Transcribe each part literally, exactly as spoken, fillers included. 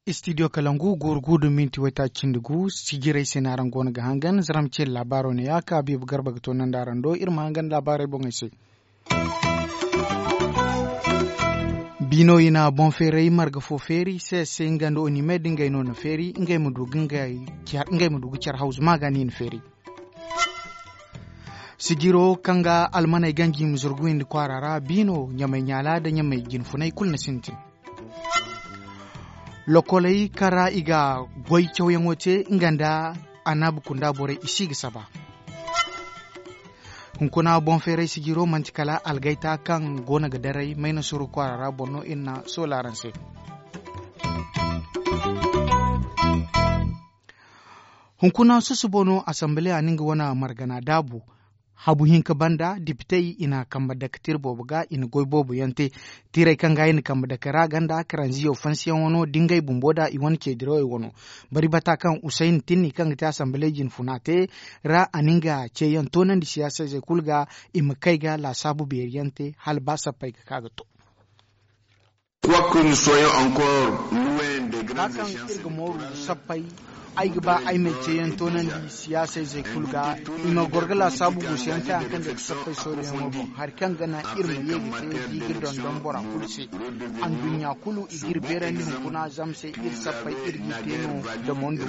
Istidiyo kalangu guuru guuru minti waytaaci cindi gu. Sijirey se no araŋ go no ga hangan zaram ce laabaaro ne ya ka biiba garba ga to nandi araŋ do iri ma hangan laabaarey boŋey se. Biino i na boŋ feeray marga fo feeri se se nga nda oni me da ngey no na feeri ngey ma du ga ngey ma du ga care hawzu ma ga no i na feeri. Sijiro kaŋ ga almaney ganji ma zurgu windi kwaara ra biino ɲamay ɲaala nda ɲamay jinfunay kulu na sintin. Lokoley kaŋ ra i ga goy cawyaŋo te nga nda annabi kunda borey i si ga saba. Hunkuna boŋ feeray sijiro manti kala algayta kaŋ go no ga daray mayna suru kwaara ra boŋ no iri na soola araŋ se. Hunkuna susubo no asambale a na nga wane margana daabu. Habu hinka banda dipitey i na kambe dake tira boobo ga i na goy boobo yaŋ te. Tirey kaŋ ga i na kambe dake ra ganda karanziyo fansiyaŋo no da ngey bumbo da i wane ceedirawey wano. Bari bata kaŋ usayni tinni kaŋ ga te asambale jinfuna te ra a na nga ceeyaŋ toonandi siyaasa izey kulu ga i ma kay ga laasaabu beeri yaŋ te hala ba sappey ga ka ga to. Hã kaŋ iri ga mooru sappey, ay ga ba ay ma ay ceeyaŋ toonandi siyaasa izey kulu ga i ma goro ga laasaabu guusuyaŋ te hari kaŋ day ga sappey sooruyaŋo boŋ hari kaŋ ga naŋ iri ma ye ga te da i ga dondon bora kulu se. Anduɲɲa kulu i ga iri beerandi hunkuna zama se iri sappey iri g'i te no da mondo.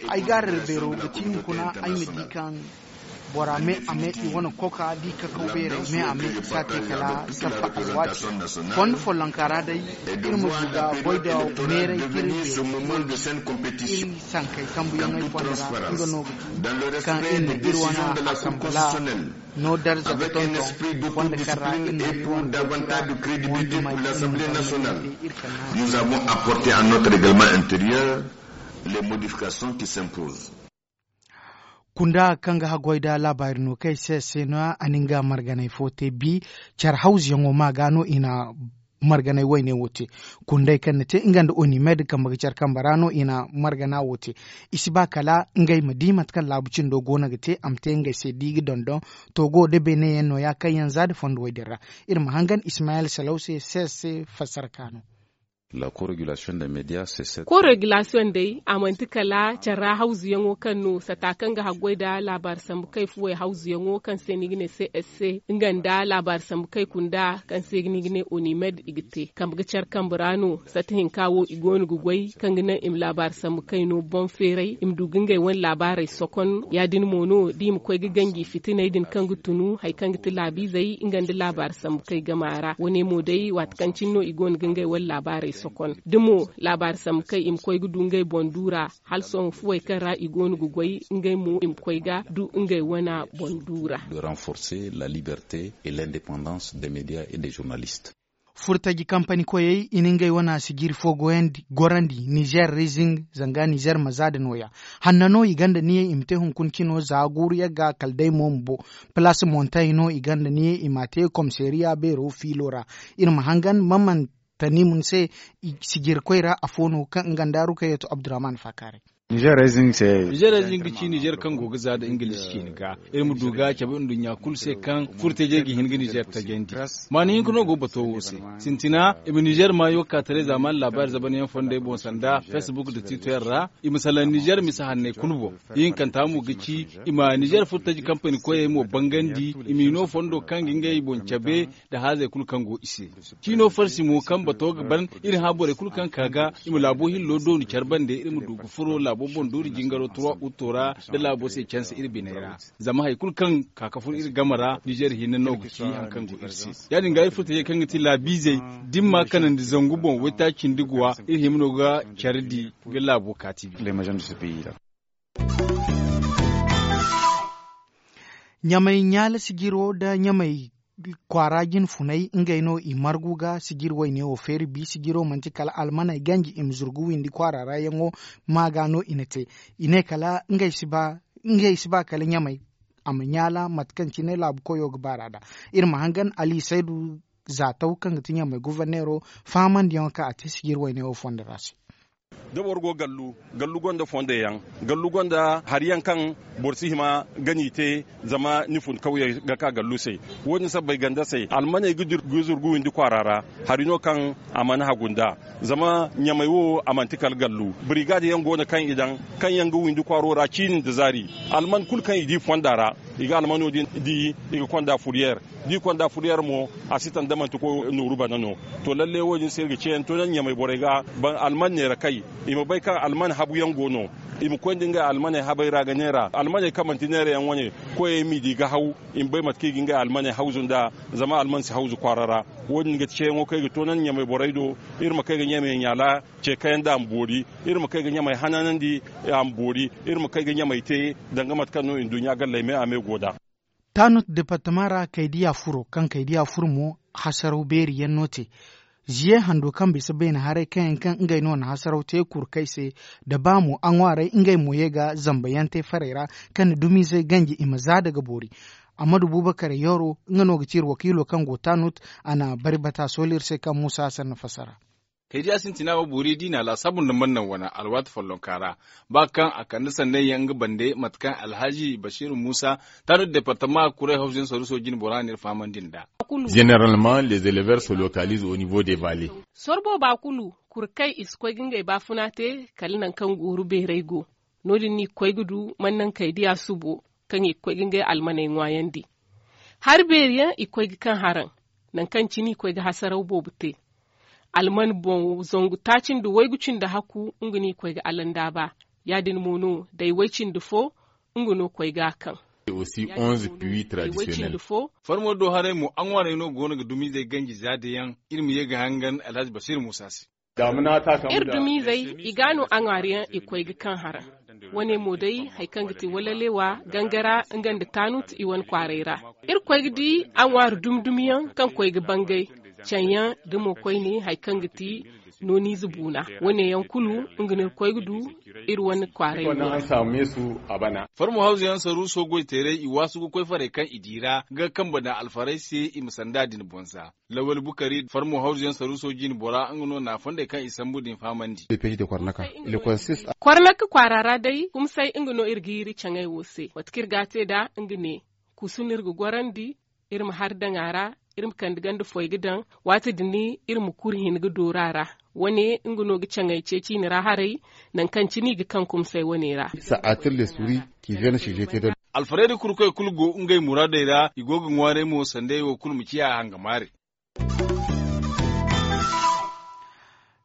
Ay gaarari beero ga ti hunkuna ay ma di kaŋ bora me a me i wane koka da i kakaw beerey me a me i si a te kala sappa alwaati. Fondo follonka ra day iri ma du ga goy da meeray k'iri beeri iri sankey kambuyaŋey fondo ra nga no ga ti kaŋ iri na iri wane asambala no darza ga tonton fondo kaŋ ra iri na iri wane goy tira wondumey iri ma daŋ no iri kala na. Nous avons apporté à notre règlement intérieur les modifications qui s'imposent. Kunda kaŋ ga haggoy nda laabaari no kay se se no a na nga marganay fo te bi care hawzuyaŋo ma ga no i na marganay wayne wo te. Kunday kaŋ na te nga nda onimed kambe ga care kambe ra no i na margana wo te. I si ba kala ngey ma di mate kaŋ laabu cindo go no ga te a ma te ngey se da i ga dondon togo nda beene yaŋ no- ya kaŋ yaŋ za nda fondo way din ra. Iri ma hangan ismayel salaw se se se fassara kaano. Ko regulasiyoŋ day a manti kala care ra hawzuyaŋo kaŋ no sata kaŋ ga haggoy nda laabaari sambu kay fuwey hawzuyaŋo kaŋ se ni ga ne cse nga nda laabaari sambu kay kunda kaŋ se ni ga ne onimed i ga te kambe ga care kambe ra no. Sata hinka wo i go no ga goy kaŋ ga naŋ i ma laabaari sambu kay no boŋ feeray i ma du ga ngey wane laabaarey sokon ya- din mo no da i ma koy ga ganji fitiney din kaŋ ga tunu hari kaŋ ga ti laabiizey nga nda laabaari sambu kay gama ra wane mo day waati kaŋ cine no i go no ga ngey wane laabaarey sokon da mo laabaari sambu kay i ma koy ga du ngey boŋ du ra hala sohõ fuwey kaŋ ra i go no ga goy ngey mo i ma koy ga du ngey wane boŋ du ra. De renforcer la liberté et l'indépendance des médias et des journalistes. Furtaji kampani koyey i na ngey wana sijiri fo gorandi nizer rezing zanga nizer maza da no- ya. Hanna no i gonda niye i ma te hunkuna cino za guuru yagga kala day mo ma bo. Palaas montay no i gonda niye i m'a te komiseeriya beero fiilo ra. Iri ma hangan man man tani mun se sijiri koy ra afo no kaŋ nga nda rukayatu abdurrahman fakaaray. Nizer rezing ga ci nizer kaŋ go ga za nda ingilish ciini ga iri ma du ga cabe nduɲɲa kulu se kaŋ furtajey ga hin ga nizer tajandi. Maani hinka no go bato wo se. Sintina i ma nizer maayo ka taray zaamaani laabaari zabanyaŋ fondey boŋ sanda facebook nda twitter ra. I ma salaŋ nizer misa hanney kulu boŋ. Ihinkanta mo ga ci i ma nizer furtaji kampani koyey mo bangandi i m'i no fondo kaŋ ga ngey boŋ cabe nda haazey kulu kaŋ go i se. Ciino farsi mo kaŋ bato ga ban iri hã borey kulu kaŋ ka ga i ma laabo hillo dooni care bande iri ma du ga furo laabo boŋ doori jingaro trois utto ra nda laabo se canse iri biney ra. Zama hari kulu kaŋ ka ka fun iri game ra nizer hinne no ga ci hari kaŋ go iri se. Ya- din ga iri furtajey kaŋ ga ti laabiizey da iri ma a kanandi zangu boŋ waytaaci nda guwa iri hima no ga care di ga laabo kaati bi. Ɲamay ɲaala sijiro nda ɲamay kwaara jinfunay ngey no i margu ga sijiri wayne wo feeri bi sijiro manti kala almaney ganji i ma zurgu windi kwaara ra yaŋo ma ga no i na te. I ne kala ngey si ba kala ɲamay a ma ɲaala mate kaŋ cine laabu koyo ga baara nd'a. Iri ma hangan ali saydu zaataw kaŋ ga ti ɲamay guverneero faamandiyaŋo kaŋ a te sijiri wayne wo fondo ra se. Da boro go gallu, gallu gonda fondey yaŋ, gallu gonda hari yaŋ kaŋ boro si hima ga n'i te, zama ni fun kawyey ga ka gallu se. Wo- din sabbay ganda se almaney ga zurgu windi kwaara ra. Hari no kaŋ a mana hagu nd'a, zama ɲamey wo a manti kala gallu. Birigaadi yaŋ go no kaŋ i daŋ, kaŋ yaŋ ga windi kwaaro ra ciini nda zaari. Alman kulu kaŋ i di fonda ra, i ga almano din di, i ga konda furyeer. Da i konda furyeer mo, a si tanda manti koy nooru bana no. To lalle wo- din se iri ga ceeyaŋ to naŋ ɲamey borey ga ban alman neera kay, i ma bay kaŋ alman habu yaŋ go no. I ma koy nda ngey almaney habey ra ga neera almaney kaŋ manti neera yaŋ wane. Koyey m'i di ga haw, i ma bay mate kaŋ i ga ngey almaney hawzu nd'a, zama alman si hawzu kwaara ra. Wo- din ga ti ceeyaŋo kaŋ ay ga to naŋ ɲamey borey do. Iri ma kay ga ɲamey ɲaala ce kayaŋ da a ma boori. Iri ma kay ga ɲamey hananandi, a ma boori. Iri ma kay ga ɲamey te danga mate kaŋ no nduɲɲa galley me a me go nd'a. Taanut departama ra kaydiya furo kaŋ kaydiya furo mo, hasaraw beeri yaŋ no te. Ziye hando kaŋ bisa beene haray kaŋ yaŋ kaŋ ngey no na hasaraw te kurkey se, da ba mo a ŋwaaray ngey mo ye ga zamba yaŋ te farey ra, kaŋ na dumizey ganji i ma za daga boori. Amadu bubakar yoro nga no ga ci iri wakiilo kaŋ go taanut. A na bari bata sooli iri se kaŋ muusa hasan na fassara. Kaydiya sintina wo boori diina laasaabu nda mannaŋ wana alwaati follonka ra, ba kaŋ a kande sanney yaŋ nga bande mate kaŋ alhaji basiiru muusa, taanut departama kuray hawzu yaŋ saruuso jine bora no iri fahamandi nd'a. Zeneralman les éleveurs se localisent au niveau des vallées. Sorbo ba kulu kurkey i si koy ga ngey baafuna te, kala nangu kaŋ gooru beerey go. No- din no i ga koy ga du mannaŋ kaydiya subo, kaŋ i ga koy ga ngey almaney ŋwaayandi. Hari beeri yaŋ i ga koy ga kaŋ haraŋ, nangu kaŋ cine i ga koy ga hasaraw boobo te. Alman boŋ zangu taaci nda waygu cindi hakku, nga no i ga koy ga alandaaba. Ya- din mo no day way cindi fo, nga no koy ga a kaŋ. Farmo do haray mo a ŋwaarey no go no ga dumizey ganji za da yaŋ. Iri ma ye ga hangan alhaji basiiru muusa se. Iri dumizey, i ga no a ŋwaari yaŋ i koy ga kaŋ haraŋ. Wane mo day, hari kaŋ ga ti walalewa gangara nga nda taanut i wane kwaaray ra. Iri koy ga di a ŋwaari dumi dumi yaŋ kaŋ koy ga bangay, caŋ yaŋ da mo koyne hari kaŋ ga ti nooniize buuna. Wane yaŋ kulu, nga no iri koy ga du iri wane kwaaray ra. Farmo hawzu yaŋ saruuso goy teeray i waasu ga koy farey kaŋ i di ra ga kambe daŋ alfarey se i ma sanda din boŋ za. Lawal bukari farmo hawzu yaŋ saruuso jine bora nga no na fondey kaŋ i sambu din fahamandi. Kwarnaka kwaara ra day kumsay nga no iri ga yiri caŋey wo se mate kaŋ iri ga a te nd'a. Nga ne, kusu no iri ga gorandi, iri ma hari daŋ a ra, iri ma kande ganda foy ga daŋ. Waati din iri ma kuri hin ga dooru a ra. Wane nga no ga caŋey ceeci i na ra haray, nangu kaŋ cine i ga kaŋ kumsay wane ra. Alfarayda kurkoy kulu go ngey muraadey ra, i go ga ŋwaaray mo sanday wo kulu ma ciya hangamaare.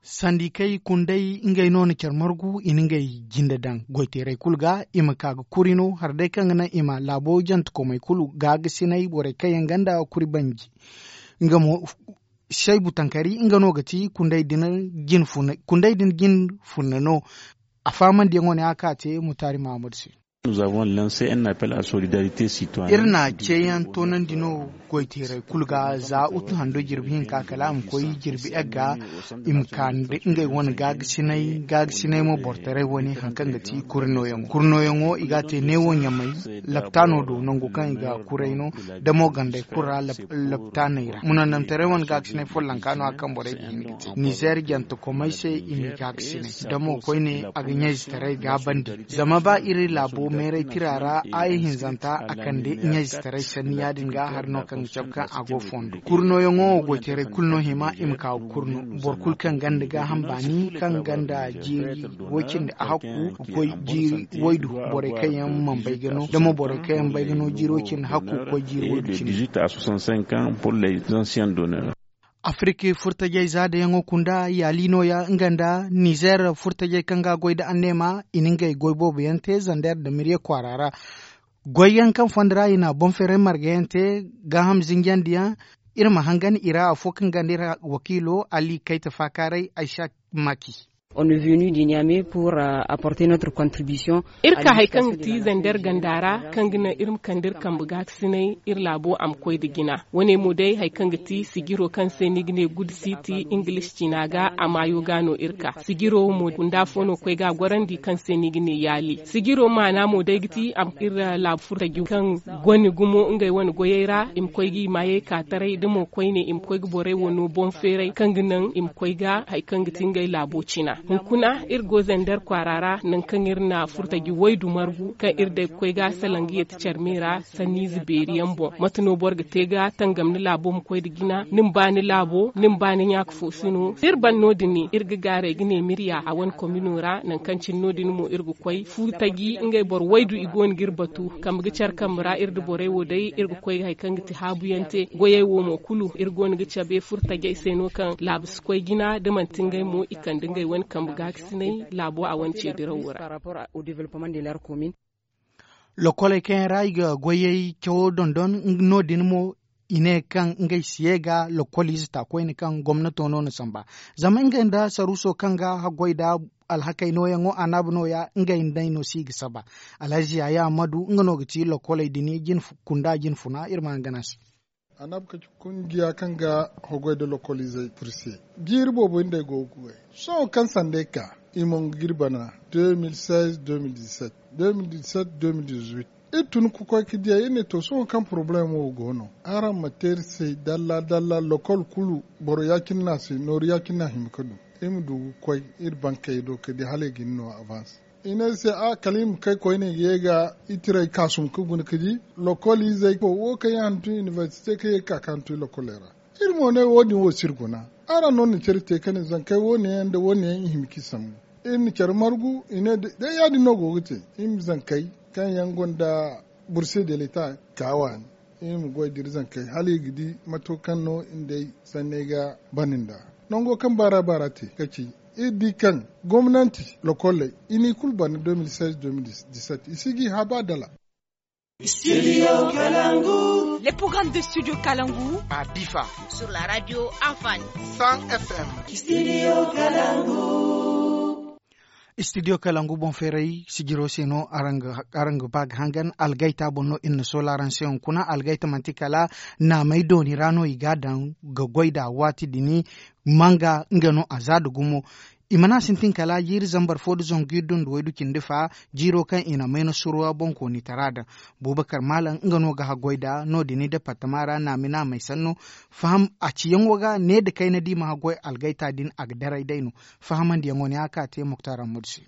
Sandikey kundey ngey no na care margu i na ngey jinde daŋ goyteerey kulu ga, i ma ka ga kuri no hari day kaŋ ga naŋ i ma laabo jantekomey kulu gaagasinay borey kaŋ yaŋ ganda kuri banji. Nga mo, saybu tankari nga no ga ti kundey din jin funna no. A faamandiyaŋo ne a ka te mutaari mahamadu se. Iri na ceeyaŋ toonandi no goyteerey kulu ga za utu hando jirbi hinka kala a ma koy jirbi egga. I ma ka nda ngey wane gaagasinay gaagasinay mo bortaray wane hari kaŋ ga ti kuri nooyaŋo kuri nooyaŋo i ga a te neewo ɲamay laptaano do nango kaŋ i ga kuray no. Da mo gandey kulu ra laptaaney ra munandamtaray wane gaagasinay follonka no hari kaŋ borey ga hin ga te nizeer jantekomey se i m'i gaagasinay. Da mo koyne a ga ɲayzetaray gaabandi. Zama ba iri laabo meeray tira ra aaya hinzanta a kande ɲayzetaray sanni ya- din ga hari no kaŋ ga cabe kaŋ a go fondo kuri nooyaŋo wo goyteerey kulu no hima i ma ka ga kuri no. Boro kulu kaŋ ganda gaaham baani kaŋ ganda jiiri way cindi hakku ga koy jiiri waydu. Borey kaŋ yaŋ mana bay ga no da mo borey kaŋ yaŋ bay ga no jiiri way cindi hakku ga koy jiiri waydu cindi. Afiriki furtajey za da yaŋo kunda yaali nooya nga nda nizeer furtajey kaŋ ga a goy nda anneema i na ngey goy boobo yaŋ te zander nda mirye kwaara ra. Goy yaŋ kaŋ fondo ra i na boŋ feeray marga yaŋ te gaaham zinjandi yaŋ. Iri ma hangan i ra afo kaŋ ganda iri wakiilo ali kayta faakaaray aysa maki. Iri ka hari kaŋ ga ti zander ganda ra kaŋ ga naŋ iri ma kande iri kambe gaakasinay iri laabo a ma koy nda jina. Wane mo day hari kaŋ ga ti sijiro kaŋ se ni ga ne gudusiti ingilis ciina ga a maayo ga no iri ka sijiro mo gunda fo no koy ga a gorandi kaŋ se ni ga ne yaali sijiro maana mo day ga ti a ma iri laabu furtaji kaŋ gone gumo ngey wane goyey ra i ma koy ga i maayey ka taray da mo koyne i ma koy ga borey wano boŋ feeray kaŋ ga naŋ i ma koy ga hari kaŋ ga ti ngey laabo cina. Hunkuna iri go zender kwaara ra nangu kaŋ iri na furtaji waydu margu kaŋ iri day ga koy ga salaŋ ga yeeti care me ra. Sanniize beeri yaŋ boŋ mate no boro ga te ga tangam ni laabo ma koy nda jina ni ma ba ni laabo ni ma ba ni ɲaaka fo si no da iri ban no- din iri ga gaaray ga ne mirya a wane komino ra nangu kaŋ cine no- din mo iri ga koy furtaji ngey boro waydu i go no ga iri batu. Kambe ga care kambe ra iri nda borey wo day iri ga koy ga hari kaŋ ga ti haabu yaŋ te goyey wo mo kulu iri go no ga cabe furtajey se no kaŋ laabu si koy jina da manti ngey mo i kande ngey wane kambe gaakasinay laabo a wane ce dirawo ra. Lokoley kaŋ yaŋ ra i ga goyey cawo dondon no- din mo i ne kaŋ ngey si ye ga lokoliize ta koyne kaŋ gomnato no na samba zama ngey nda saruuso kaŋ ga haggoy nda alhakey nooyaŋo anaabu nooya ngey nd'ey no si ga saba. Alhaziya yaamadu nga no ga ti lokoley din kunda jinfuna iri ma hangan a se. Annabi ka ci kungiya kaŋ ga hoggoy nda lokoliizey furse jiiri boobo nda ay go ga goy. Sohõ kaŋ sanda ay ka i mongo ga iri bana deux mille seize deux mille dix-sept deux mille dix-sept deux mille dix-huit. Iri tun ka koy ga diyay iri ne to sohõ kaŋ porobalem wo go no araŋ ma te iri se dalla dalla lokol kulu boro ya-cine no a si nooru ya-cine no a hima ga du. Iri ma du ga koy iri bankey do ga di hala i ga ni no avans. I ne iri se a kala i ma kay koyne ga ye ga itiray kaasum ga guna ga di lokol izey wo kaŋ yaŋ hantum inibersite kaŋ ye ga ka ga hantum lokoley ra. Iri mo ne wo- din wo si iri guna. Araŋ no na care te ka ne zankey wo- ne yaŋ nda wo- ne yaŋ i hima ga i sambu. Iri na care margu i ne day ya- din no go ga te. Iri ma zankey kaŋ yaŋ gonda burse de leta ka waani. Iri ma goy da iri zankey hala i ga di mato kaŋ no iri nd'ey sanney ga bana nd'a. Nango kaŋ baara baara te ga ci iri di kaŋ gomnanti lokolley i n'i kulu bana deux mille seize deux mille dix-sept i si ga i hã ba dala. Studio Kalangu. Les programmes de Studio Kalangu. À Difa. Sur la radio Afani. Cent F M. Studio Kalangu. Studio Kalangu boŋ feeray sijiro se no araŋ ga ba ga hangan algayta boŋ no iri na soola araŋ se hunkuna algayta manti kala naamey dooni ra no i ga a daŋ ga goy nd'a waati din. Manga nga no a za nda gumo. I mana sintin kala jiiri zambar fo nda zangu iri dunduwey du cindi fa jiiro kaŋ i na mayna surwa boŋkoonitara daŋ. Bubakar maalam nga no ga haggoy nd'a no- din departama ra naami naamey sanno. Faham a ciyaŋo ga ne nda kayna da i ma haggoy algayta din a ga daray day no. Fahamandiyaŋo ne a ka te muktar ammadu se.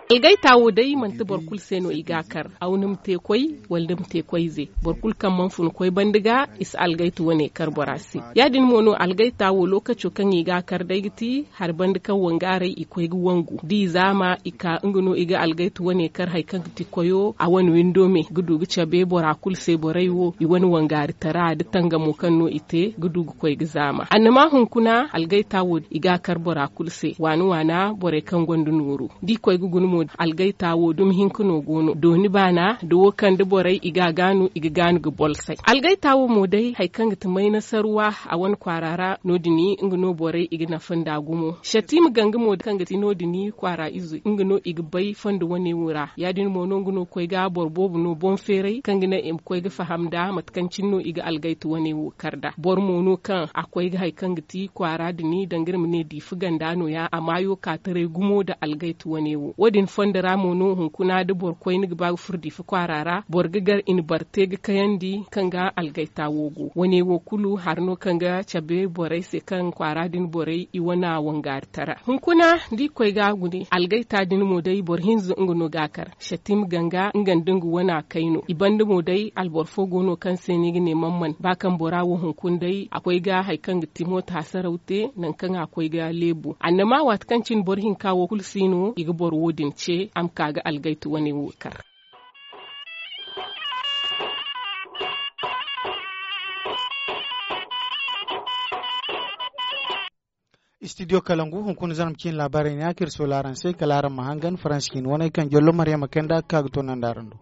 Algayta wo day manti boro kulu se no i ga a kar. Aw ni ma te koy wala ni ma te koy ize. Boro kulu kaŋ mana fun koy banda ga i si algayta wane kar bora se. Ya- din mo no algayta wo lookaco kaŋ i ga a kar day ga ti hari banda kaŋ wangaaray i koy ga wangu da i zaama i ka nga no i ga algayta wane kar hari kaŋ ga ti koyo a wane windo me ga du ga cabe bora kulu se borey wo i wane wangaaritara nda tangamo kaŋ no i te ga du ga koy ga zaama annama hunkuna algayta wo i ga a kar bora kulu se waana waana borey kaŋ gonda nooru da i koy ga guna mo algayta wo dumi hinka no go no dooni baana da wo kaŋ da borey i ga a gaanu i ga gaanu ga bolsay algayta wo mo day hari kaŋ ga ti mayna sarwa a wane kwaara ra no- din nga no borey i ga nafa nda gumo shattima ganga mo kaŋ ga ti no- din kwaara ize nga no i ga bay fondo wane wo ra ya- din mo no nga no ga koy ga boro boobo no boŋ feeray kaŋ ga naŋ i ma koy ga faham nda mate kaŋ cine no i ga algayta wane wo kar nd'a boro mo no kaŋ a koy ga hari kaŋ ga ti kwaara din danga iri ma ne diifa ganda nooya a maayo ka taray gumo nda algayta wane wo wo- din fondo ra mo no hunkuna da boro koyne ga ba ga furo diifa kwaara ra boro ga gar i na bare te ga kayandi kaŋ ga algayta wo go wane wo kulu hari no kaŋ ga cabe borey se kaŋ kwaara din borey i wana wangaari tara hunkuna da i koy ga a gune algayta din mo day boro hinza nga no ga a kar shattim ganga nga nda nga wana kayno i banda mo day alboro fo go no kaŋ se no i ga ne mamman ba kaŋ bora wo hunkuna day a koy ga hari kaŋ ga ti mooto hasaraw te nangu kaŋ a koy ga leebu annama waati kaŋ cine boro hinka wo kulu si no i ga boro wo- din ce a ma ka ga algayta wane wo kar. Studio kalangu hunkuna zarma ciine laabaarey ne a kaŋ iri soola araŋ se kala araŋ ma hangan faransi ciine wane kaŋ jollo maryama kayna nda a ga ka ga toonandi araŋ do.